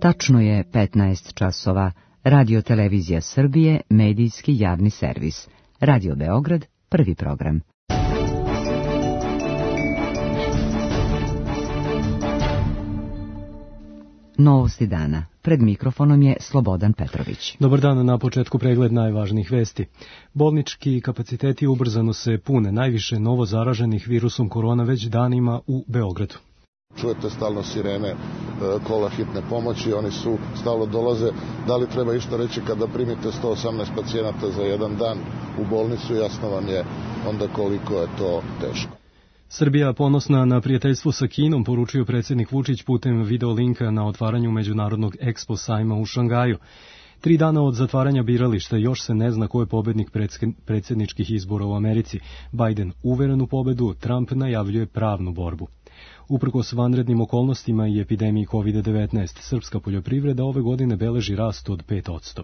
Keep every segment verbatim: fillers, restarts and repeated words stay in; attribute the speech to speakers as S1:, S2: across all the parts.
S1: Tačno je petnaest časova. Radio Televizija Srbije, medijski javni servis. Radio Beograd, prvi program. Novosti dana. Pred mikrofonom je Slobodan Petrović.
S2: Dobar dan, na početku pregled najvažnijih vesti. Bolnički kapaciteti ubrzano se pune, najviše novo zaraženih virusom korona već danima u Beogradu.
S3: Čujete stalno sirene, kola hitne pomoći, oni su stalno dolaze. Da li treba išta reći kada primite sto osamnaest pacijenata za jedan dan u bolnicu, jasno vam je onda koliko je to teško.
S2: Srbija ponosna na prijateljstvo sa Kinom, poručio predsjednik Vučić putem video linka na otvaranju međunarodnog Expo sajma u Šangaju. Tri dana od zatvaranja birališta još se ne zna ko je pobednik predsjedničkih izbora u Americi. Biden uveren u pobedu, Trump najavljuje pravnu borbu. Uprkos vanrednim okolnostima i epidemiji kovid devetnaest, srpska poljoprivreda ove godine beleži rast od pet posto.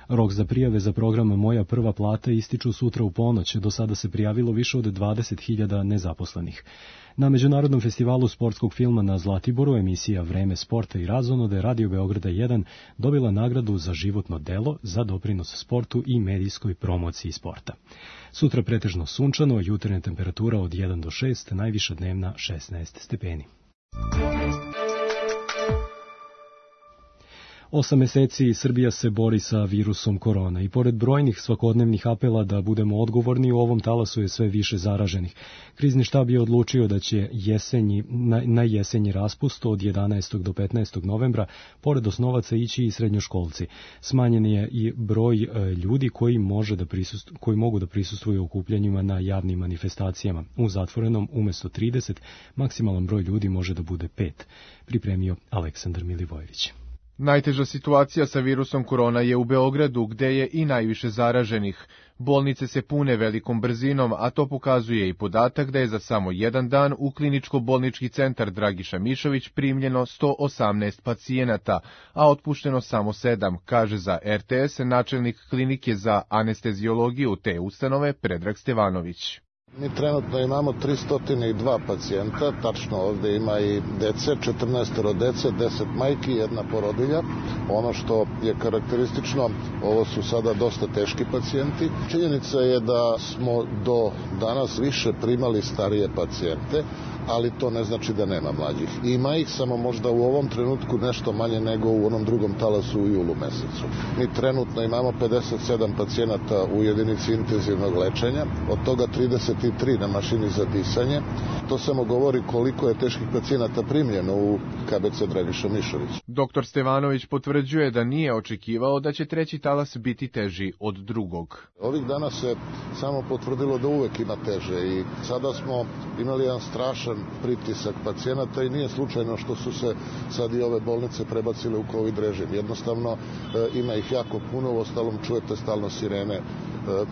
S2: Rok za prijave za program Moja prva plata ističu sutra u ponoć, do sada se prijavilo više od dvadeset hiljada nezaposlenih. Na Međunarodnom festivalu sportskog filma na Zlatiboru emisija Vreme sporta i razonode Radio Beograda jedan dobila nagradu za životno delo za doprinos sportu i medijskoj promociji sporta. Sutra pretežno sunčano, jutarnja temperatura od jedan do šest, najviša dnevna šesnaest stepeni. Osam meseci Srbija se bori sa virusom korona i pored brojnih svakodnevnih apela da budemo odgovorni, u ovom talasu je sve više zaraženih. Krizni štab je odlučio da će jesenji, na, na jesenji raspust od jedanaestog do petnaestog novembra pored osnovaca ići i srednjoškolci. Smanjen je i broj e, ljudi koji, može da prisust, koji mogu da prisustvuju okupljanjima na javnim manifestacijama. U zatvorenom umesto trideset, maksimalan broj ljudi može da bude pet, pripremio Aleksandar Milivojević.
S4: Najteža situacija sa virusom korona je u Beogradu, gde je i najviše zaraženih. Bolnice se pune velikom brzinom, a to pokazuje i podatak da je za samo jedan dan u kliničko-bolnički centar Dragiša Mišović primljeno sto osamnaest pacijenata, a otpušteno samo sedam, kaže za er te es načelnik klinike za anesteziologiju te ustanove Predrag Stevanović.
S3: Mi trenutno imamo tristo dva pacijenta, tačno ovdje ima i dece, četrnaest dece, deset majki, jedna porodilja. Ono što je karakteristično, ovo su sada dosta teški pacijenti. Činjenica je da smo do danas više primali starije pacijente, ali to ne znači da nema mlađih. Ima ih, samo možda u ovom trenutku nešto manje nego u onom drugom talasu u julu mesecu. Mi trenutno imamo pedeset sedam pacijenata u jedinici intenzivnog lečenja, od toga trideset tri na mašini za disanje. To samo govori koliko je teških pacijenata primljeno u ka be ce Dragiša Mišović.
S4: Doktor Stevanović potvrđuje da nije očekivao da će treći talas biti teži od drugog.
S3: Ovih dana se samo potvrdilo da uvek ima teže i sada smo imali jedan strašan pritisak pacijenata i nije slučajno što su se sad i ove bolnice prebacile u covid režim. Jednostavno e, ima ih jako puno, u ostalom čujete stalno sirene, e,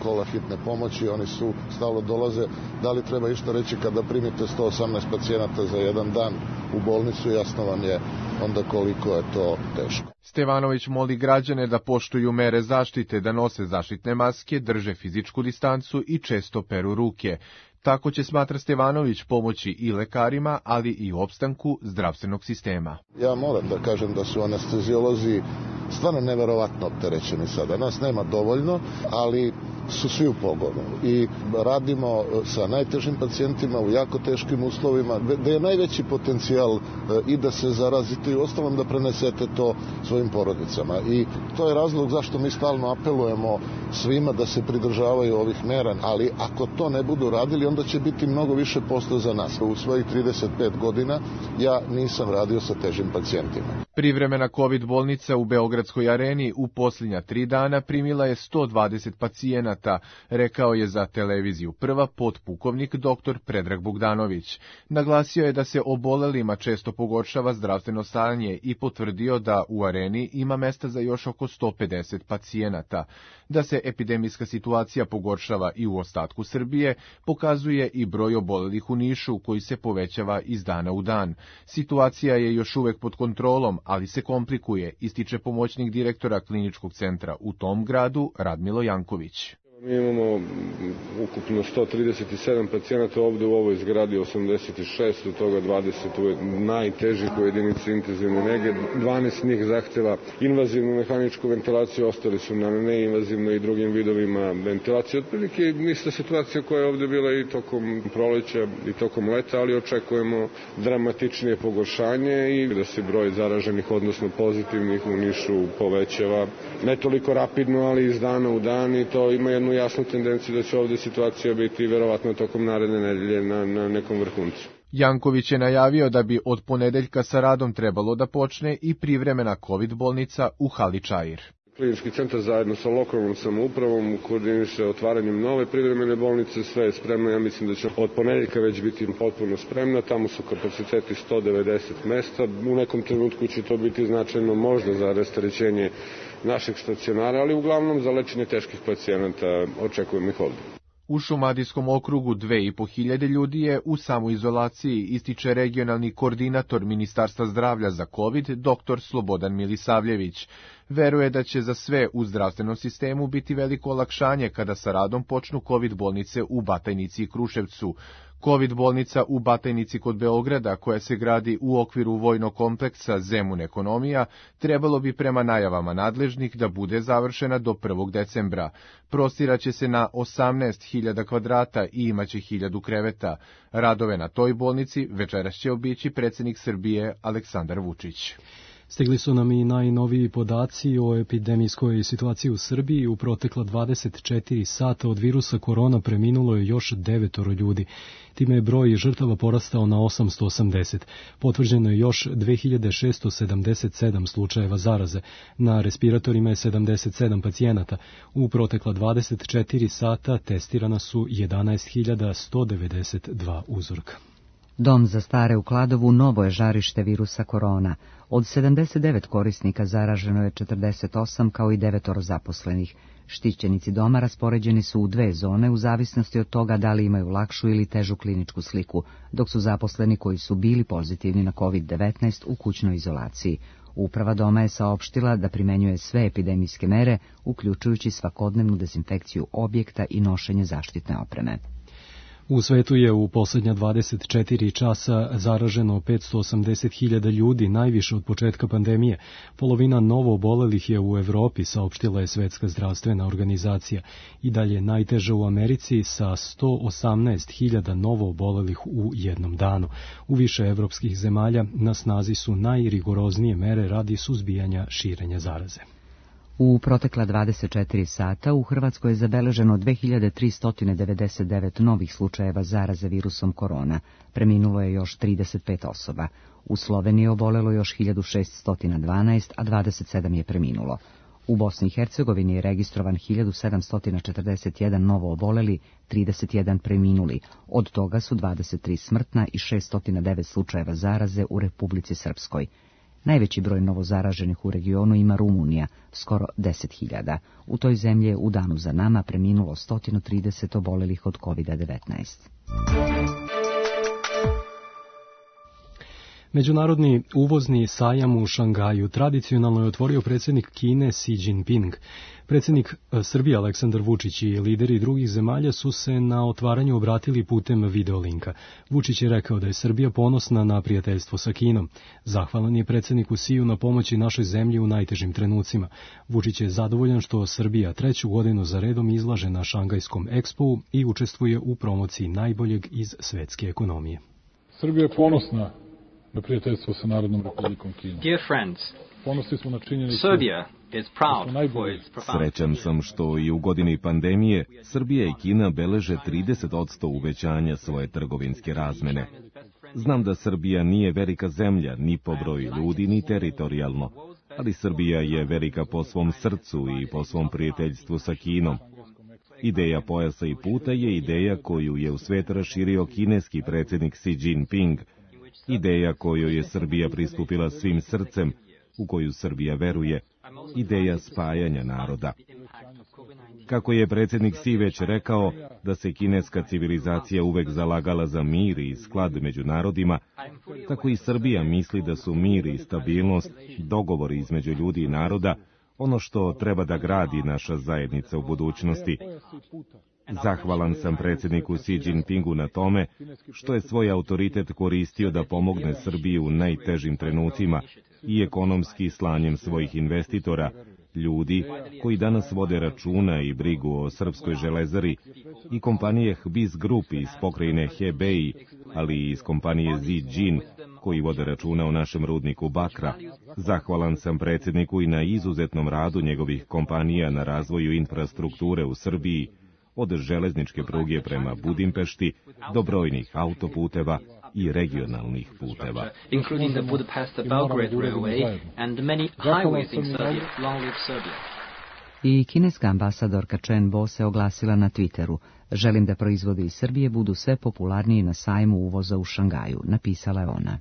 S3: kola hitne pomoći, oni su stalno dolaze. Da li treba išta reći kada primite sto osamnaest pacijenata za jedan dan u bolnicu, jasno vam je onda koliko je to teško.
S4: Stevanović moli građane da poštuju mere zaštite, da nose zaštitne maske, drže fizičku distancu i često peru ruke. Tako će, smatra Stevanović, pomoći i lekarima, ali i opstanku zdravstvenog sistema.
S3: Ja moram da kažem da su anesteziolozi stvarno neverovatno opterećeni sada. Nas nema dovoljno, ali su svi u pogonu i radimo sa najtežim pacijentima u jako teškim uslovima, gde je najveći potencijal i da se zarazite i ostalom da prenesete to svojim porodicama. I to je razlog zašto mi stalno apelujemo svima da se pridržavaju ovih mera, ali ako to ne budu radili, onda će biti mnogo više posla za nas. U svojih trideset pet godina ja nisam radio sa težim pacijentima.
S4: Privremena COVID bolnica u Beogradskoj areni u posljednja tri dana primila je sto dvadeset pacijenata, rekao je za televiziju Prva potpukovnik doktor Predrag Bogdanović. Naglasio je da se obolelima često pogoršava zdravstveno stanje i potvrdio da u areni ima mesta za još oko sto pedeset pacijenata. Da se epidemijska situacija pogoršava i u ostatku Srbije, pokazuje i broj obolelih u Nišu, koji se povećava iz dana u dan. Situacija je još uvek pod kontrolom, ali se komplikuje, ističe pomoćnik direktora kliničkog centra u tom gradu Radmilo Janković.
S5: Mi imamo ukupno sto trideset sedam pacijenata ovde u ovoj zgradi, osamdeset šest, od toga dvadeset u najtežih u jedinici intenzivne nege, dvanaest njih zahteva invazivnu mehaničku ventilaciju, ostali su na neinvazivno i drugim vidovima ventilacije. Otprilike ista situacija koja je ovde bila i tokom proleća i tokom leta, ali očekujemo dramatičnije pogoršanje i da se broj zaraženih, odnosno pozitivnih u Nišu povećava. Ne toliko rapidno, ali iz dana u dan i to ima jednu jasnu tendenciju da će ovde situacija biti verovatno tokom naredne nedelje na, na nekom vrhuncu.
S4: Janković je najavio da bi od ponedeljka sa radom trebalo da počne i privremena COVID bolnica u Hali Čair.
S5: Klinički centar zajedno sa lokalnom samoupravom koordiniše otvaranjem nove privremene bolnice, sve je spremno, ja mislim da će od ponedeljka već biti potpuno spremna, tamo su kapaciteti sto devedeset mesta, u nekom trenutku će to biti značajno možda za rasterećenje našeg stacionara, ali uglavnom za lečenje teških pacijenata očekujemo ih ovde.
S4: U Šumadijskom okrugu dve i po hiljade ljudi je u samoizolaciji, ističe regionalni koordinator Ministarstva zdravlja za COVID, dr Slobodan Milisavljević. Veruje da će za sve u zdravstvenom sistemu biti veliko olakšanje kada sa radom počnu COVID bolnice u Batajnici i Kruševcu. COVID bolnica u Batajnici kod Beograda, koja se gradi u okviru vojnog kompleksa Zemun ekonomija, trebalo bi prema najavama nadležnih da bude završena do prvog decembra. Prostiraće se na osamnaest hiljada kvadrata i imaće hiljadu kreveta. Radove na toj bolnici večeras će obići predsjednik Srbije Aleksandar Vučić.
S2: Stigli su nam i najnoviji podaci o epidemijskoj situaciji u Srbiji. U protekla dvadeset četiri sata od virusa korona preminulo je još devetoro ljudi. Time je broj žrtava porastao na osamsto osamdeset. Potvrđeno je još dve hiljade šesto sedamdeset sedam slučajeva zaraze. Na respiratorima je sedamdeset sedam pacijenata. U protekla dvadeset četiri sata testirana su jedanaest hiljada sto devedeset dva uzorka.
S1: Dom za stare u Kladovu novo je žarište virusa korona. Od sedamdeset devet korisnika zaraženo je četrdeset osam kao i devetoro zaposlenih. Štićenici doma raspoređeni su u dve zone u zavisnosti od toga da li imaju lakšu ili težu kliničku sliku, dok su zaposleni koji su bili pozitivni na kovid devetnaest u kućnoj izolaciji. Uprava doma je saopštila da primenjuje sve epidemijske mere, uključujući svakodnevnu dezinfekciju objekta i nošenje zaštitne opreme.
S2: U svetu je u posljednja dvadeset četiri časa zaraženo petsto osamdeset hiljada ljudi, najviše od početka pandemije. Polovina novo obolelih je u Evropi, saopštila je Svetska zdravstvena organizacija. I dalje najteže u Americi sa sto osamnaest hiljada novo obolelih u jednom danu. U više evropskih zemalja na snazi su najrigoroznije mere radi suzbijanja širenja zaraze.
S1: U protekla dvadeset četiri sata u Hrvatskoj je zabeleženo dve hiljade tristo devedeset devet novih slučajeva zaraze virusom korona. Preminulo je još trideset pet osoba. U Sloveniji je obolelo još hiljadu šeststo dvanaest, a dvadeset sedam je preminulo. U Bosni i Hercegovini je registrovan hiljadu sedamsto četrdeset jedan novo oboleli, trideset jedan preminuli. Od toga su dvadeset tri smrtna i šeststo devet slučajeva zaraze u Republici Srpskoj. Najveći broj novozaraženih u regionu ima Rumunija, skoro deset hiljada. U toj zemlji je u danu za nama preminulo sto trideset obolelih od kovid devetnaest.
S2: Međunarodni uvozni sajam u Šangaju tradicionalno je otvorio predsjednik Kine Xi Jinping. Predsjednik Srbije Aleksandar Vučić i lideri drugih zemalja su se na otvaranju obratili putem videolinka. Vučić je rekao da je Srbija ponosna na prijateljstvo sa Kinom. Zahvalan je predsjedniku Xiju na pomoći našoj zemlji u najtežim trenucima. Vučić je zadovoljan što Srbija treću godinu za redom izlaže na Šangajskom ekspu i učestvuje u promociji najboljeg iz svetske ekonomije.
S6: Srbija je ponosna na prijateljstvo sa Narodnom Republikom Kinom.
S7: Dear friends,
S6: ponosni smo na činjenicu
S7: Serbia is proud for its profound.
S8: Srećan sam što i u godini pandemije Srbija i Kina beleže trideset posto uvećanja svoje trgovinske razmene. Znam da Srbija nije velika zemlja ni po broju ljudi ni teritorijalno, ali Srbija je velika po svom srcu i po svom prijateljstvu sa Kinom. Ideja pojasa i puta je ideja koju je u svet raširio kineski predsjednik Xi Jinping. Ideja kojoj je Srbija pristupila svim srcem, u koju Srbija veruje, ideja spajanja naroda. Kako je predsjednik Xi već rekao da se kineska civilizacija uvek zalagala za mir i sklad među narodima, tako i Srbija misli da su mir i stabilnost, dogovori između ljudi i naroda, ono što treba da gradi naša zajednica u budućnosti. Zahvalan sam predsjedniku Xi Jinpingu na tome što je svoj autoritet koristio da pomogne Srbiji u najtežim trenucima i ekonomski slanjem svojih investitora, ljudi koji danas vode računa i brigu o srpskoj železari, i kompanije Hbis Group iz pokrajine Hebei, ali i iz kompanije Zijin koji vode računa o našem rudniku bakra. Zahvalan sam predsjedniku i na izuzetnom radu njegovih kompanija na razvoju infrastrukture u Srbiji, od železničke pruge prema Budimpešti do brojnih autoputeva i regionalnih puteva.
S1: I kineska ambasadorka Chen Bo se oglasila na Twitteru: "Želim da proizvodi iz Srbije budu sve popularniji na sajmu uvoza u Šangaju", napisala je ona.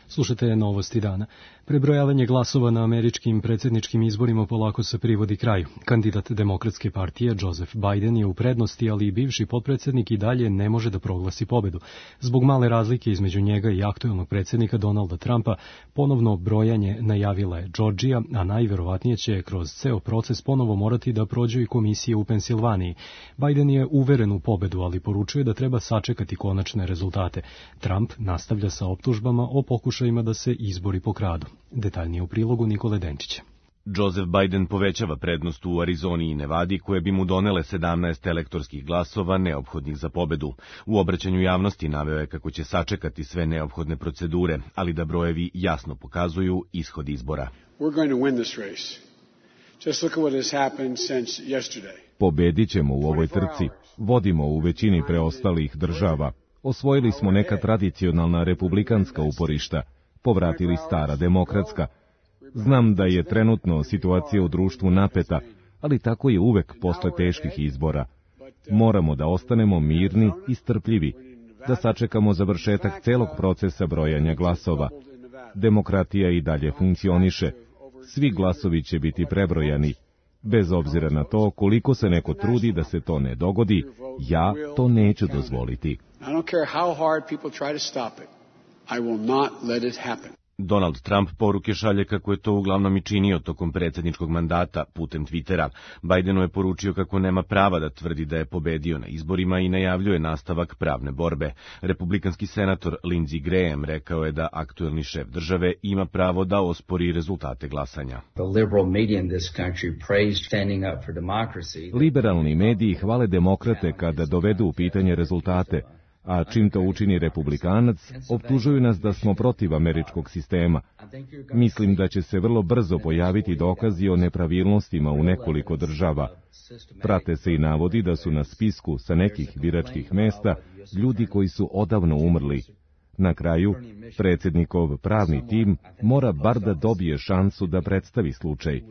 S2: Slušajte novosti dana. Prebrojavanje glasova na američkim predsjedničkim izborima polako se privodi kraju. Kandidat Demokratske partije Joseph Biden je u prednosti, ali i bivši potpredsjednik i dalje ne može da proglasi pobedu. Zbog male razlike između njega i aktuelnog predsjednika Donalda Trumpa, ponovno brojanje najavila je Georgija, a najverovatnije će kroz ceo proces ponovo morati da prođu i komisije u Pensilvaniji. Biden je uveren u pobedu, ali poručuje da treba sačekati konačne rezultate. Trump nastavlja sa optužbama o pokušajima da se izbori pokradu. Detaljnije u prilogu Nikole Denčića.
S9: Joseph Biden povećava prednost u Arizoni i Nevadi, koje bi mu donele sedamnaest elektorskih glasova neophodnih za pobedu. U obraćanju javnosti naveo je kako će sačekati sve neophodne procedure, ali da brojevi jasno pokazuju ishod izbora.
S8: Pobedit ćemo u ovoj trci. Vodimo u većini preostalih država. Osvojili smo neka tradicionalna republikanska uporišta, povratili stara demokratska. Znam da je trenutno situacija u društvu napeta, ali tako je uvek posle teških izbora. Moramo da ostanemo mirni i strpljivi, da sačekamo završetak celog procesa brojanja glasova. Demokratija i dalje funkcioniše. Svi glasovi će biti prebrojani. Bez obzira na to koliko se neko trudi da se to ne dogodi, ja to neću dozvoliti.
S9: Donald Trump poruke šalje kako je to uglavnom i činio tokom predsjedničkog mandata putem Twittera. Bidenu je poručio kako nema prava da tvrdi da je pobedio na izborima i najavljuje nastavak pravne borbe. Republikanski senator Lindsey Graham rekao je da aktuelni šef države ima pravo da ospori rezultate glasanja.
S8: Liberalni mediji hvale demokrate kada dovedu u pitanje rezultate, a čim to učini republikanac, optužuju nas da smo protiv američkog sistema. Mislim da će se vrlo brzo pojaviti dokazi o nepravilnostima u nekoliko država. Prate se i navodi da su na spisku sa nekih biračkih mesta ljudi koji su odavno umrli. Na kraju, predsjednikov pravni tim mora bar da dobije šansu da predstavi slučaj.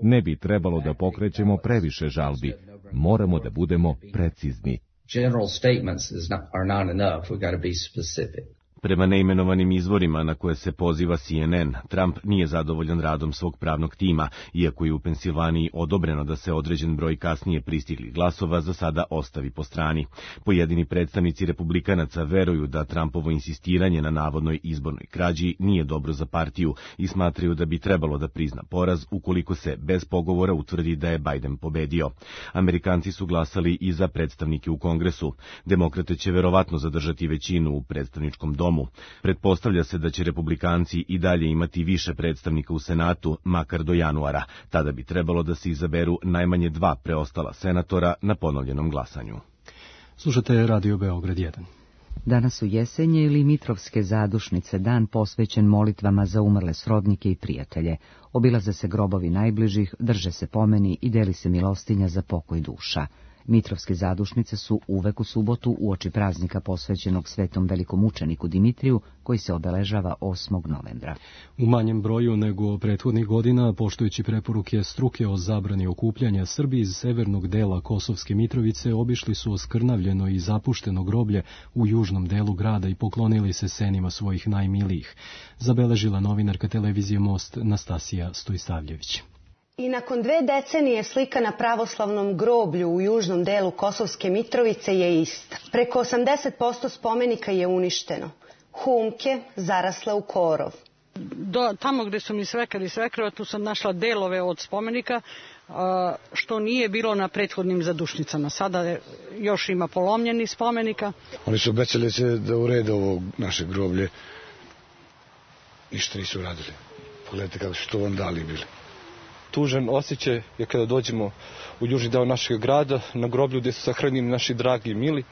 S8: Ne bi trebalo da pokrećemo previše žalbi. Moramo da budemo precizni.
S10: General statements is not, are not enough. We got to be specific.
S9: Prema neimenovanim izvorima na koje se poziva C N N, Trump nije zadovoljan radom svog pravnog tima, iako je u Pensilvaniji odobreno da se određen broj kasnije pristiglih glasova za sada ostavi po strani. Pojedini predstavnici republikanaca veruju da Trumpovo insistiranje na navodnoj izbornoj krađi nije dobro za partiju i smatraju da bi trebalo da prizna poraz ukoliko se bez pogovora utvrdi da je Biden pobedio. Amerikanci su glasali i za predstavnike u Kongresu. Demokrate će verovatno zadržati većinu u predstavničkom domu. Pretpostavlja se da će republikanci i dalje imati više predstavnika u Senatu, makar do januara. Tada bi trebalo da se izaberu najmanje dva preostala senatora na ponovljenom glasanju.
S2: Slušate Radio Beograd jedan.
S1: Danas su Jesenje ili Mitrovske zadušnice, dan posvećen molitvama za umrle srodnike i prijatelje. Obilaze se grobovi najbližih, drže se pomeni i deli se milostinja za pokoj duša. Mitrovske zadušnice su uvek u subotu uoči praznika posvećenog svetom velikom učeniku Dimitriju, koji se obeležava osmog novembra.
S2: U manjem broju nego prethodnih godina, poštujući preporuke struke o zabrani okupljanja, Srbi iz severnog dela Kosovske Mitrovice obišli su oskrnavljeno i zapušteno groblje u južnom delu grada i poklonili se senima svojih najmilijih, zabeležila novinarka televizije Most Nastasija Stojsavljević.
S11: I nakon dve decenije slika na pravoslavnom groblju u južnom delu Kosovske Mitrovice je ista. Preko osamdeset posto spomenika je uništeno. Humke zarasle u korov.
S12: Do, tamo gdje su mi svekar i svekrva, tu sam našla delove od spomenika, što nije bilo na prethodnim zadušnicama. Sada još ima polomljeni spomenika.
S13: Oni su obećali se da urede ovo naše groblje. Ništa nisu uradili. Pogledajte kako su to vandali bili.
S14: Tužan osjećaj je kada dođemo u južni deo našeg grada, na groblju gdje su sahranjeni naši dragi i mili.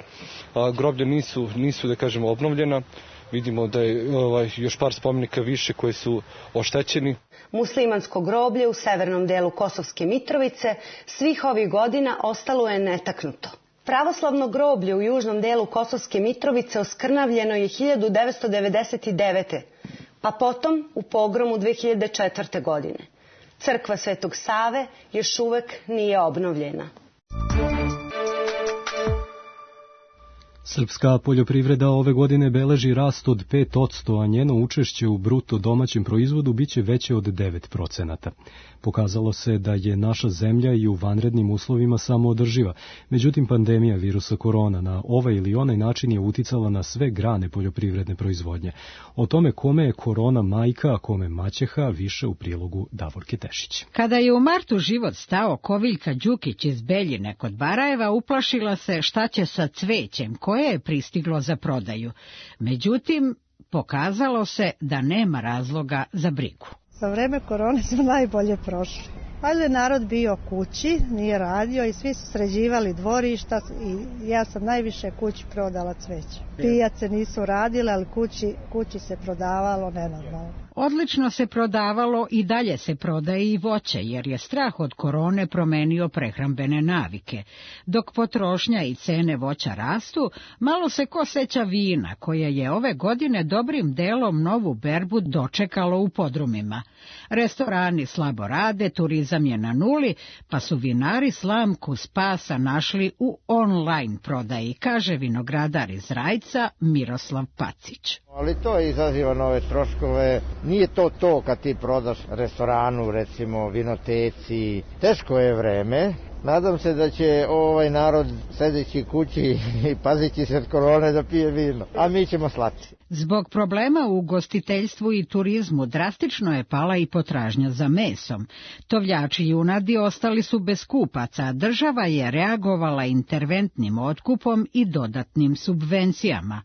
S14: A, groblja nisu, nisu, da kažemo, obnovljena. Vidimo da je ovaj, još par spomenika više koji su oštećeni.
S11: Muslimansko groblje u severnom delu Kosovske Mitrovice svih ovih godina ostalo je netaknuto. Pravoslavno groblje u južnom delu Kosovske Mitrovice oskrnavljeno je hiljadu devetsto devedeset devete. pa potom u pogromu dve hiljade četvrte. godine. Crkva Svetog Save još uvek nije obnovljena.
S2: Srpska poljoprivreda ove godine beleži rast od pet posto, a njeno učešće u bruto domaćem proizvodu biće veće od devet procenata. Pokazalo se da je naša zemlja i u vanrednim uslovima samoodrživa. Međutim, pandemija virusa korona na ovaj ili onaj način je uticala na sve grane poljoprivredne proizvodnje. O tome kome je korona majka, a kome maćeha, više u prilogu Davorke Tešić.
S15: Kada je u martu život stao, Koviljka Đukić iz Beljine kod Barajeva uplašila se šta će sa cvećem koje je pristiglo za prodaju. Međutim, pokazalo se da nema razloga za brigu.
S16: Za vreme korone smo najbolje prošli. Valjda je narod bio kući, nije radio i svi su sređivali dvorišta i ja sam najviše kući prodala cveće. Pijace nisu radile, ali kući, kući se prodavalo nenormalno.
S15: Odlično se prodavalo i dalje se prodaje i voće, jer je strah od korone promenio prehrambene navike. Dok potrošnja i cene voća rastu, malo se ko seća vina, koje je ove godine dobrim delom novu berbu dočekalo u podrumima. Restorani slabo rade, turizam je na nuli, pa su vinari slamku spasa našli u online prodaji, kaže vinogradar iz Rajca Miroslav Pacić.
S17: Ali to izaziva nove troškove. Nije to to kad ti prodaš restoranu, recimo vinoteci. Teško je vreme. Nadam se da će ovaj narod sedeći kući i pazići se od korone da pije vino, a mi ćemo slati.
S15: Zbog problema u ugostiteljstvu i turizmu drastično je pala i potražnja za mesom. Tovljači junadi ostali su bez kupaca, a država je reagovala interventnim otkupom i dodatnim subvencijama.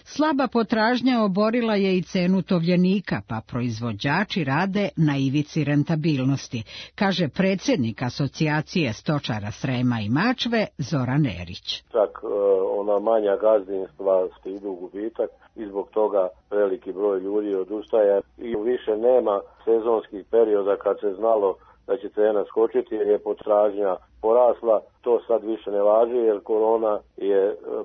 S15: Slaba potražnja oborila je i cenu tovljenika, pa proizvođači rade na ivici rentabilnosti, kaže predsjednik asocijacije stočara Srema i Mačve Zoran Erić.
S18: Čak ona manja gazdinstva idu u gubitak i zbog toga veliki broj ljudi odustaje i više nema sezonskih perioda kad se znalo da će cena skočiti jer je potražnja porasla. To sad više ne važi jer korona je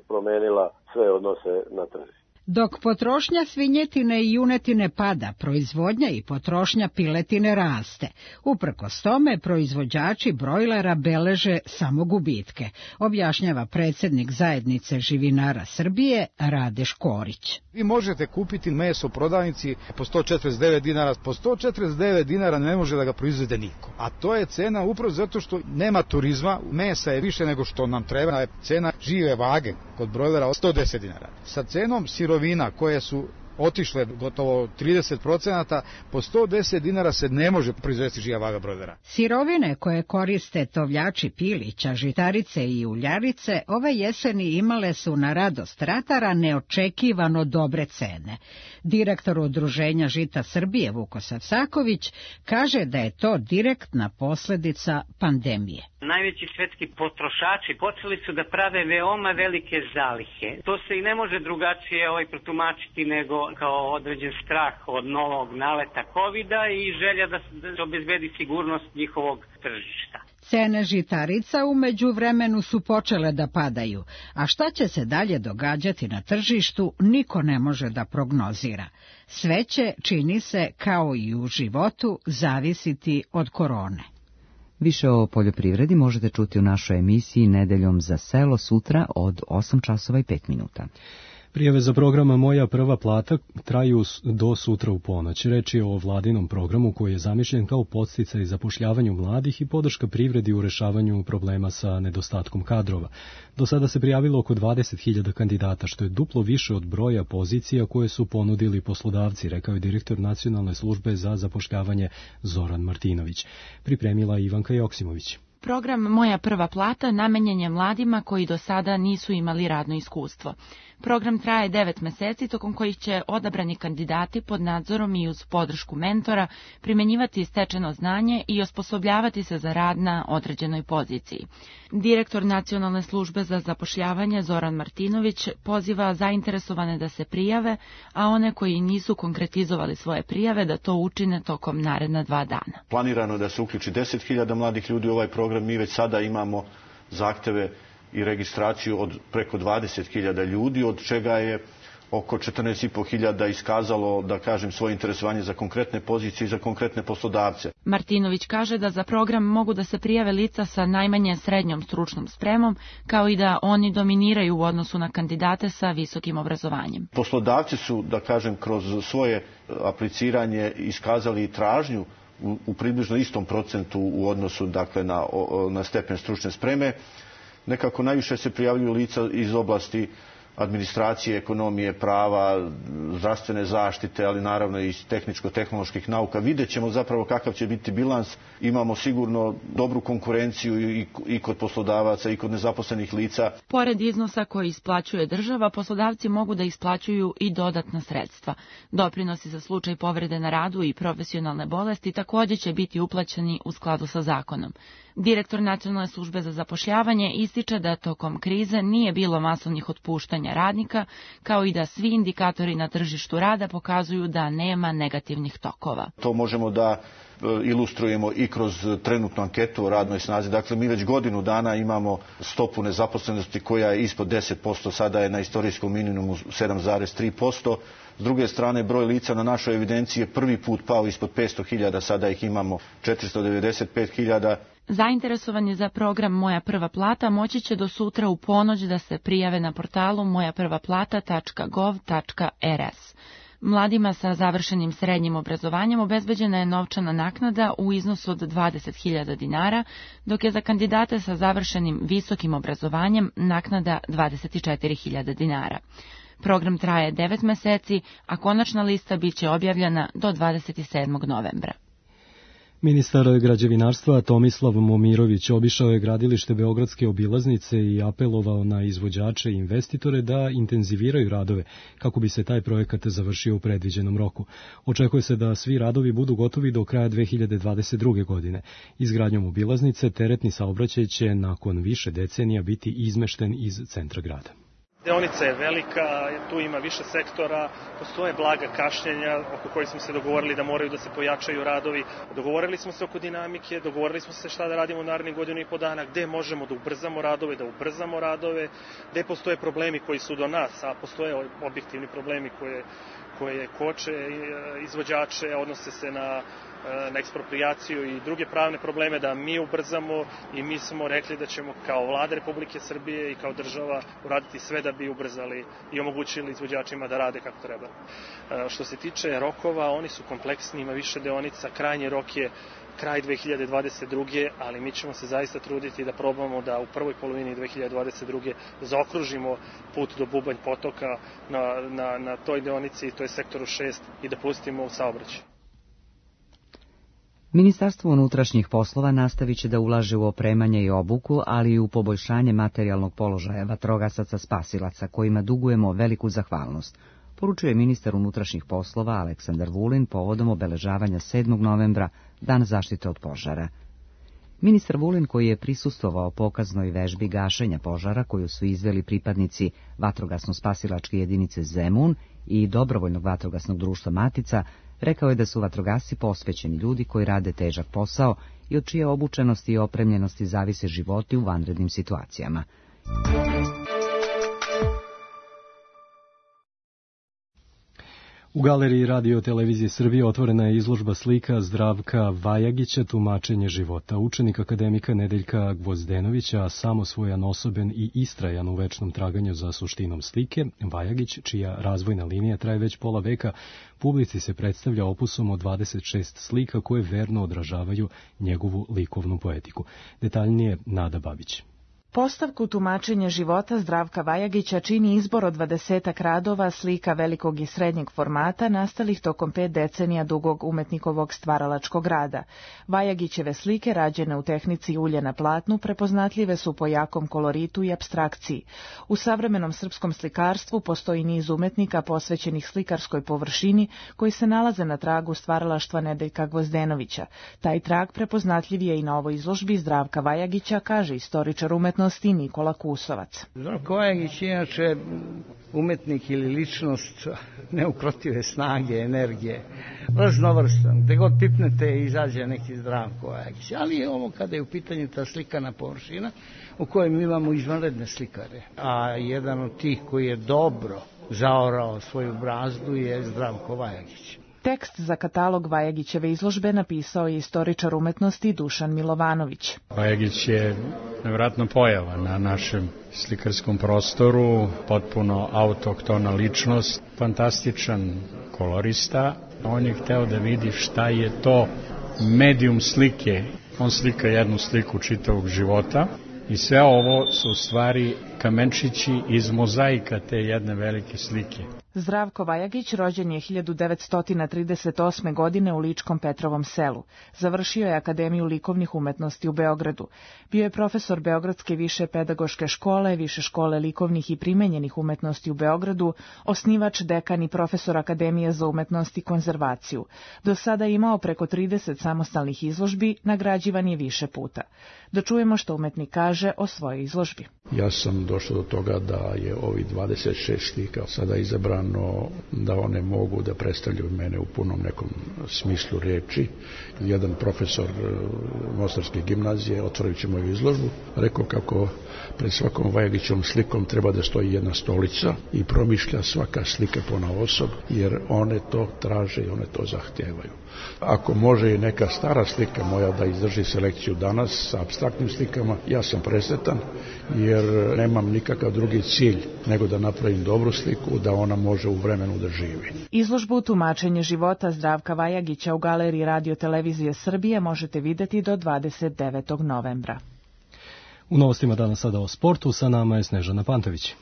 S18: promenila sve odnose na tržištu.
S15: Dok potrošnja svinjetine i junetine pada, proizvodnja i potrošnja piletine raste. Uprkos tome, proizvođači brojlera beleže samo gubitke, objašnjava predsjednik zajednice živinara Srbije Rade Škorić.
S19: Vi možete kupiti meso u prodavnici po sto četrdeset devet dinara, po sto četrdeset devet dinara ne može da ga proizvede niko. A to je cena upravo zato što nema turizma, mesa je više nego što nam treba, je cena žive vage kod brojlera sto deset dinara. Sa cenom sirovina koje su otišle gotovo trideset procenata, po sto deset dinara se ne može proizvesti živa vaga brojlera.
S15: Sirovine koje koriste tovljači pilića, žitarice i uljarice ove jeseni imale su na radost ratara neočekivano dobre cene. Direktor Udruženja žita Srbije Vukosav Saković kaže da je to direktna posljedica pandemije.
S20: Najveći svetski potrošači počeli su da prave veoma velike zalihe. To se i ne može drugačije ovaj protumačiti nego kao određen strah od novog naleta kovida i želja da se obezbedi sigurnost njihovog tržišta.
S15: Cene žitarica u međuvremenu su počele da padaju, a šta će se dalje događati na tržištu niko ne može da prognozira. Sve će, čini se, kao i u životu, zavisiti od korone.
S1: Više o poljoprivredi možete čuti u našoj emisiji Nedeljom za selo sutra od osam časova i pet minuta.
S2: Prijave za programa Moja prva plata traju do sutra u ponoć. Reč je o vladinom programu koji je zamišljen kao podsticaj zapošljavanju mladih i podrška privredi u rešavanju problema sa nedostatkom kadrova. Do sada se prijavilo oko dvadeset hiljada kandidata, što je duplo više od broja pozicija koje su ponudili poslodavci, rekao je direktor Nacionalne službe za zapošljavanje Zoran Martinović. Pripremila Ivanka Joksimović.
S21: Program Moja prva plata namenjen je mladima koji do sada nisu imali radno iskustvo. Program traje devet meseci, tokom kojih će odabrani kandidati pod nadzorom i uz podršku mentora primenjivati stečeno znanje i osposobljavati se za rad na određenoj poziciji. Direktor Nacionalne službe za zapošljavanje Zoran Martinović poziva zainteresovane da se prijave, a one koji nisu konkretizovali svoje prijave da to učine tokom naredna dva dana.
S22: Planirano je da se uključi deset hiljada mladih ljudi u ovaj program. Mi već sada imamo zahteve i registraciju od preko dvadeset hiljada ljudi, od čega je oko četrnaest i po hiljada iskazalo, da kažem, svoje interesovanje za konkretne pozicije i za konkretne poslodavce.
S21: Martinović kaže da za program mogu da se prijave lica sa najmanje srednjom stručnom spremom, kao i da oni dominiraju u odnosu na kandidate sa visokim obrazovanjem.
S22: Poslodavci su, da kažem, kroz svoje apliciranje iskazali tražnju u, u približno istom procentu u odnosu, dakle, na, na stepen stručne spreme. Nekako najviše se prijavljuju lica iz oblasti administracije, ekonomije, prava, zdravstvene zaštite, ali naravno i tehničko-tehnoloških nauka. Vidjet ćemo zapravo kakav će biti bilans. Imamo sigurno dobru konkurenciju i, i kod poslodavaca i kod nezaposlenih lica.
S21: Pored iznosa koji isplaćuje država, poslodavci mogu da isplaćuju i dodatna sredstva. Doprinosi za slučaj povrede na radu i profesionalne bolesti također će biti uplaćeni u skladu sa zakonom. Direktor Nacionalne službe za zapošljavanje ističe da tokom krize nije bilo masovnih otpuštanja radnika, kao i da svi indikatori na tržištu rada pokazuju da nema negativnih tokova.
S22: To možemo da ilustrujemo i kroz trenutnu anketu o radnoj snazi. Dakle, mi već godinu dana imamo stopu nezaposlenosti koja je ispod deset posto, sada je na istorijskom minimumu sedam zarez tri posto. S druge strane, broj lica na našoj evidenciji je prvi put pao ispod petsto hiljada, sada ih imamo četiristo devedeset pet hiljada.
S21: Zainteresovani za program Moja prva plata moći će do sutra u ponoć da se prijave na portalu moja prva plata tačka gov tačka er es. Mladima sa završenim srednjim obrazovanjem obezbeđena je novčana naknada u iznosu od dvadeset hiljada dinara, dok je za kandidate sa završenim visokim obrazovanjem naknada dvadeset četiri hiljade dinara. Program traje devet meseci, a konačna lista biće objavljena do dvadeset sedmog novembra.
S2: Ministar građevinarstva Tomislav Momirović obišao je gradilište Beogradske obilaznice i apelovao na izvođače i investitore da intenziviraju radove kako bi se taj projekat završio u predviđenom roku. Očekuje se da svi radovi budu gotovi do kraja dve hiljade dvadeset druge. godine. Izgradnjom obilaznice teretni saobraćaj će nakon više decenija biti izmešten iz centra grada.
S23: Deonica je velika, tu ima više sektora, postoje blaga kašnjenja oko kojih smo se dogovorili da moraju da se pojačaju radovi. Dogovorili smo se oko dinamike, dogovorili smo se šta da radimo u narednih godinu i po dana, gde možemo da ubrzamo radove, da ubrzamo radove, gde postoje problemi koji su do nas, a postoje objektivni problemi koje, koje koče izvođače, odnose se na na eksproprijaciju i druge pravne probleme, da mi ubrzamo, i mi smo rekli da ćemo kao Vlada Republike Srbije i kao država uraditi sve da bi ubrzali i omogućili izvođačima da rade kako treba. Što se tiče rokova, oni su kompleksni, ima više deonica, krajnji rok je kraj dve hiljade dvadeset druge. ali mi ćemo se zaista truditi da probamo da u prvoj polovini dve hiljade dvadeset druge. zaokružimo put do Bubanj potoka na, na, na toj deonici, to je sektoru šest, i da pustimo u saobraćaj.
S1: Ministarstvo unutrašnjih poslova nastavit će da ulaže u opremanje i obuku, ali i u poboljšanje materijalnog položaja vatrogasaca spasilaca, kojima dugujemo veliku zahvalnost, poručuje ministar unutrašnjih poslova Aleksandar Vulin povodom obeležavanja sedmog novembra, Dan zaštite od požara. Ministar Vulin, koji je prisustvovao pokaznoj vežbi gašenja požara koju su izveli pripadnici vatrogasno-spasilačke jedinice Zemun i dobrovoljnog vatrogasnog društva Matica, rekao je da su vatrogasci posvećeni ljudi koji rade težak posao i od čije obučenosti i opremljenosti zavise životi u vanrednim situacijama.
S2: U galeriji Radio Televizije Srbije otvorena je izložba slika Zdravka Vajagića, tumačenje života. Učenik akademika Nedeljka Gvozdenovića, samosvojan, osoben i istrajan u večnom traganju za suštinom slike, Vajagić, čija razvojna linija traje već pola veka, publici se predstavlja opusom od dvadeset šest slika koje verno odražavaju njegovu likovnu poetiku. Detaljnije Nada Babić.
S3: Postavku tumačenje života Zdravka Vajagića čini izbor od dvadesetak radova slika velikog i srednjeg formata nastalih tokom pet decenija dugog umetnikovog stvaralačkog rada. Vajagićeve slike, rađene u tehnici ulje na platnu, prepoznatljive su po jakom koloritu i apstrakciji. U savremenom srpskom slikarstvu postoji niz umetnika posvećenih slikarskoj površini koji se nalaze na tragu stvaralaštva Nedeljka Gvozdenovića. Taj trag prepoznatljiv je i na ovoj izložbi Zdravka Vajagića, kaže istoričar umetnosti Nikola Kusovac.
S4: Zdravko Vajagić je inače umetnik ili ličnost neukrotive snage, energije, raznovrstan. Gde god pipnete izađe neki Zdravko Vajagić. Ali ovo kada je u pitanju ta slikana površina u kojoj mi imamo izvanredne slikare. A jedan od tih koji je dobro zaorao svoju brazdu je Zdravko Vajagić.
S3: Tekst za katalog Vajagićeve izložbe napisao je istoričar umetnosti Dušan Milovanović.
S5: Vajagić je nevjerojatna pojava na našem slikarskom prostoru, potpuno autohtona ličnost, fantastičan kolorista. On je hteo da vidi šta je to medijum slike. On slika jednu sliku čitavog života i sve ovo su u stvari kamenčići iz mozaika te jedne velike slike.
S3: Zdravko Vajagić rođen je hiljadu devetsto trideset osme. godine u Ličkom Petrovom selu. Završio je Akademiju likovnih umetnosti u Beogradu. Bio je profesor Beogradske više pedagoške škole, Više škole likovnih i primenjenih umetnosti u Beogradu, osnivač, dekan i profesor Akademije za umetnost i konzervaciju. Do sada je imao preko trideset samostalnih izložbi, nagrađivan je više puta. Da čujemo što umetnik kaže o svojoj izložbi.
S24: Ja sam došao do toga da je ovi dvadeset šest slika sada izabrano da one mogu da predstavljaju mene u punom nekom smislu reči. Jedan profesor Mostarske gimnazije, otvorujući moju izložbu, rekao kako pred svakom Vajagićevom slikom treba da stoji jedna stolica i promišlja svaka slika ponaosob, jer one to traže i one to zahtijevaju. Ako može i neka stara slika moja da izdrži selekciju danas sa apstraktnim slikama, ja sam presretan, jer nemam nikakav drugi cilj nego da napravim dobru sliku, da ona može u vremenu da živi.
S3: Izložbu tumačenje života Zdravka Vajagića u galeriji Radio Televizije Srbije možete videti do dvadeset devetog novembra.
S2: U novostima danas sada o sportu, sa nama je Snežana Pantović.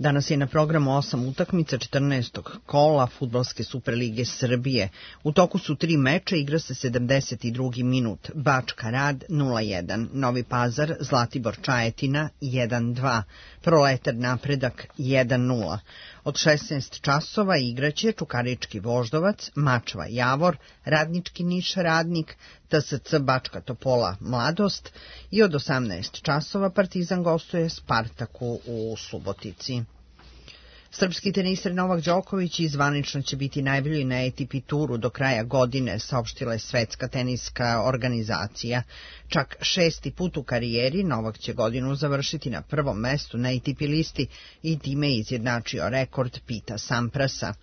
S25: Danas je na programu osam utakmica četrnaestog kola Fudbalske Superlige Srbije. U toku su tri meča, igra se sedamdeset drugi minut. Bačka Rad nula jedan, Novi Pazar, Zlatibor Čajetina jedan dva, Proletar Napredak jedan nula. Od šesnaest časova igraće Čukarički Voždovac, Mačva Javor, Radnički Niš Radnik, T S C Bačka Topola Mladost i od osamnaest časova Partizan gostuje Spartaku u Subotici. Srpski teniser Novak Đoković i zvanično će biti najbolji na A T P turu do kraja godine, saopštila je Svetska teniska organizacija. Čak šesti put u karijeri Novak će godinu završiti na prvom mestu na A T P listi i time izjednačio rekord Pita Samprasa.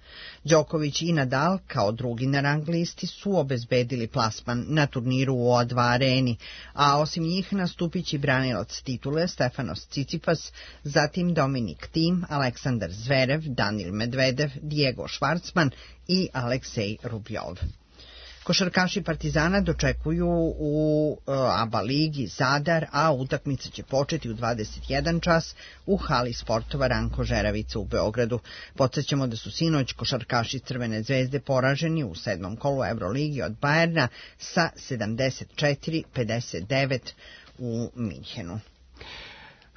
S25: Đoković i Nadal kao drugi na rang listi su obezbedili plasman na turniru u O dva areni, a osim njih nastupit će branilac titule Stefanos Cicipas, zatim Dominik Thiem, Aleksandar Zverev, Danil Medvedev, Diego Schwartzman i Aleksej Rubljov. Košarkaši Partizana dočekuju u A B A ligi Zadar, a utakmica će početi u dvadeset jedan čas u hali sportova Ranko Žeravica u Beogradu. Podsjećamo da su sinoć košarkaši Crvene zvezde poraženi u sedmom kolu Euroligi od Bajerna sa sedamdeset četiri pedeset devet u Minhenu.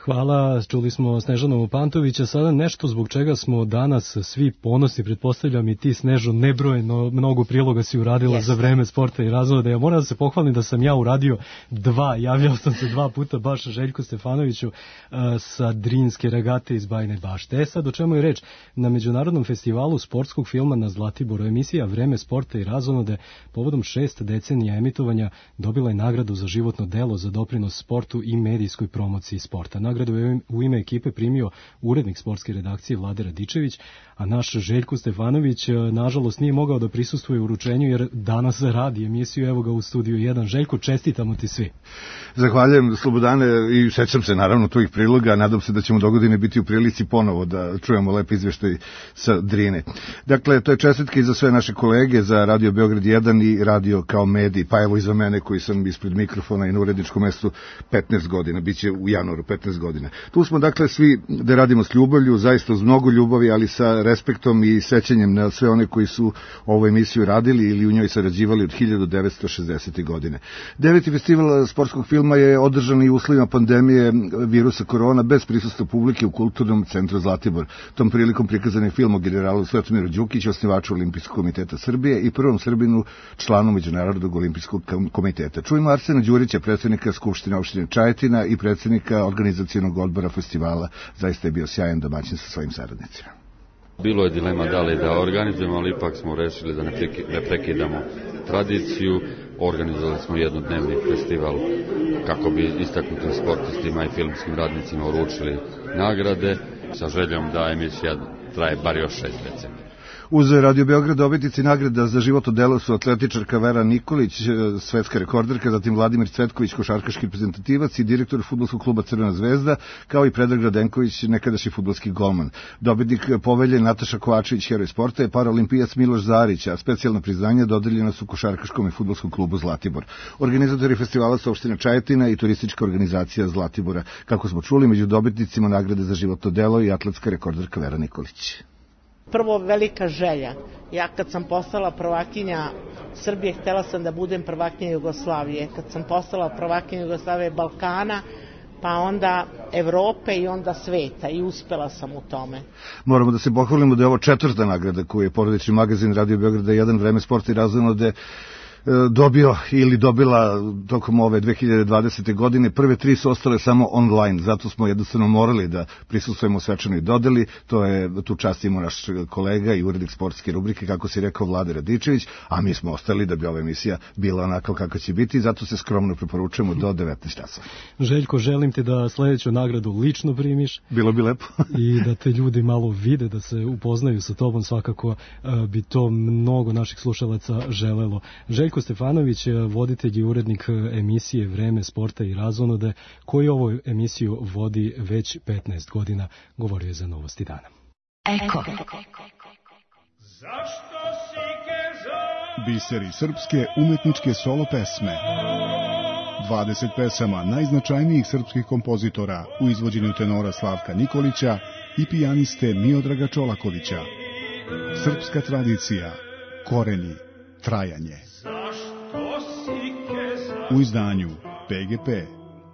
S2: Hvala, čuli smo Snežanu Pantovića, sada nešto zbog čega smo danas svi ponosni, pretpostavljam i ti, Snežo, nebrojeno mnogo priloga si uradila Jeste. Za vreme sporta i razvoda. Ja moram da se pohvalim da sam ja uradio dva, javljao sam se dva puta baš Željku Stefanoviću uh, sa Drinske regate iz Bajine Bašte. E sad, o čemu je reč? Na Međunarodnom festivalu sportskog filma na Zlatiboru emisija Vreme sporta i razonode povodom šest decenija emitovanja dobila je nagradu za životno delo za doprinos sportu i medijskoj promociji sporta. Nagradu je u ime ekipe primio urednik sportske redakcije Vlade Radičević, a naš Željko Stefanović nažalost nije mogao da prisustvuje uručenju jer danas radi emisiju, evo ga u studiju jedan. Željko, čestitamo ti svi.
S6: Zahvaljujem, Slobodane, i sećam se naravno tvojih priloga, nadam se da ćemo dogodine biti u prilici ponovo da čujemo lep izveštaj sa Drine. Dakle, to je čestitke i za sve naše kolege, za Radio Beograd jedan i radio kao medij, pa evo i za mene koji sam ispred mikrofona i na uredničkom mestu petnaest godina, bit će u januaru petnaest godina. Tu smo dakle svi da radimo s ljubavlju, zaista uz mnogo ljubavi, ali sa respektom i sećanjem na sve one koji su ovu emisiju radili ili u njoj sarađivali od hiljadu devetsto šezdesete. godine. Deveti festival sportskog filma je održan i u uslovima pandemije virusa korona bez prisustva publike u Kulturnom centru Zlatibor. Tom prilikom prikazan je film o generalu Svetomiru Đukiću, osnivaču Olimpijskog komiteta Srbije i prvom Srbinu, članu Međunarodnog olimpijskog komiteta. Čujemo Arsena Đurića, predsjednika Skupštine opštine Čajetina i predsjednika organizacionog odbora festivala. Zaista je bio sjajan domaćin sa svojim saradnicima.
S7: Bilo je dilema da li da organizujemo, ali ipak smo rešili da ne prekidamo tradiciju. Organizovali smo jednodnevni festival kako bi istaknutim sportistima i filmskim radnicima uručili nagrade sa željom da emisija traje bar još šest decenija.
S6: Uz Radio Beograd dobitnici nagrada za životno delo su atletičarka Vera Nikolić, svetska rekorderka, zatim Vladimir Cvetković, košarkaški reprezentativac i direktor fudbalskog kluba Crvena zvezda, kao i Predrag Radenković, nekadašnji fudbalski golman. Dobitnik povelje Nataša Kovačević, heroj sporta, je paraolimpijac Miloš Zarić, a specijalna priznanja dodeljena su košarkaškom i fudbalskom klubu Zlatibor. Organizatori festivala su opština Čajetina i turistička organizacija Zlatibora. Kako smo čuli, među dobitnicima nagrade za životno delo i atletska rekorderka Vera Nikolić.
S8: Prvo, velika želja. Ja kad sam postala prvakinja Srbije, htela sam da budem prvakinja Jugoslavije. Kad sam postala prvakinja Jugoslavije, Balkana, pa onda Evrope i onda sveta, i uspela sam u tome.
S6: Moramo da se pohvalimo da je ovo četvrta nagrada koju je porodični magazin Radio Beograda jedan, Vreme, sport i razonode, dobio ili dobila tokom ove dve hiljade dvadesete. godine. Prve tri su ostale samo online, zato smo jednostavno morali da prisustvujemo svečanoj dodeli. To je, tu čast imao naš kolega i urednik sportske rubrike, kako si rekao, Vlade Radičević, a mi smo ostali da bi ova emisija bila onako kako će biti, zato se skromno preporučujemo do devetnaest časova.
S2: Željko, želim ti da sledeću nagradu lično primiš.
S6: Bilo bi lepo.
S2: I da te ljudi malo vide, da se upoznaju sa tobom, svakako bi to mnogo naših slušalaca želelo. Željko Stefanović, voditelj i urednik emisije Vreme, sporta i razonode, koji ovu emisiju vodi već petnaest godina, govorio je za Novosti dana.
S9: Eko.
S10: Biseri srpske umetničke solo pesme. dvadeset pesama najznačajnijih srpskih kompozitora u izvođenju tenora Slavka Nikolića i pijaniste Miodraga Čolakovića. Srpska tradicija, koreni, trajanje. U izdanju P G P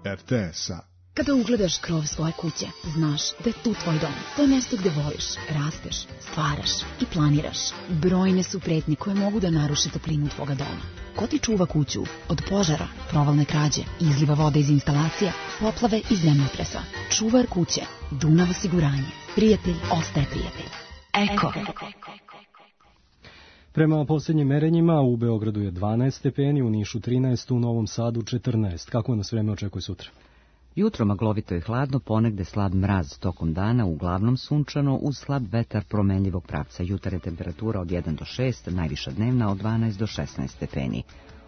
S10: R T S-a.
S26: Kada ugledaš krov svoje kuće, znaš da je tu tvoj dom. To je mjesto gde voliš, rasteš, stvaraš i planiraš. Brojne su pretnje koje mogu da naruše toplinu tvoga doma. Ko ti čuva kuću od požara, provalne krađe, izliva vode iz instalacija, poplave i zemljotresa? Čuvar kuće, Dunav osiguranje. Prijatelj ostaje prijatelj. Eko.
S2: Prema posljednjim merenjima u Beogradu je dvanaest stepeni, u Nišu trinaest, u Novom Sadu četrnaest. Kako nas vreme očekuje sutra?
S1: Jutro maglovito i hladno, ponegde slab mraz, tokom dana uglavnom sunčano, uz slab vetar promenljivog pravca. Jutarnja temperatura od jedan do šest, najviša dnevna od dvanaest do šesnaest stepeni.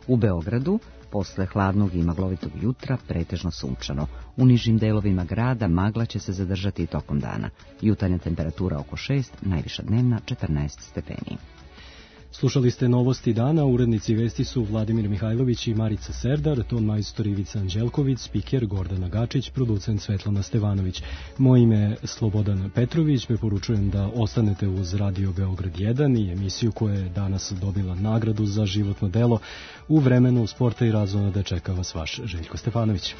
S1: U Beogradu, posle hladnog i maglovitog jutra, pretežno sunčano. U nižim delovima grada magla će se zadržati i tokom dana. Jutarnja temperatura oko šest, najviša dnevna četrnaest stepeni.
S2: Slušali ste Novosti dana, urednici vesti su Vladimir Mihajlović i Marica Serdar, ton majstor Ivica Anđelković, spiker Gordana Gačić, producent Svetlana Stevanović. Moje ime je Slobodan Petrović, preporučujem da ostanete uz Radio Beograd jedan i emisiju koja je danas dobila nagradu za životno delo. U vremenu sporta i razonode čeka vas vaš Željko Stefanović.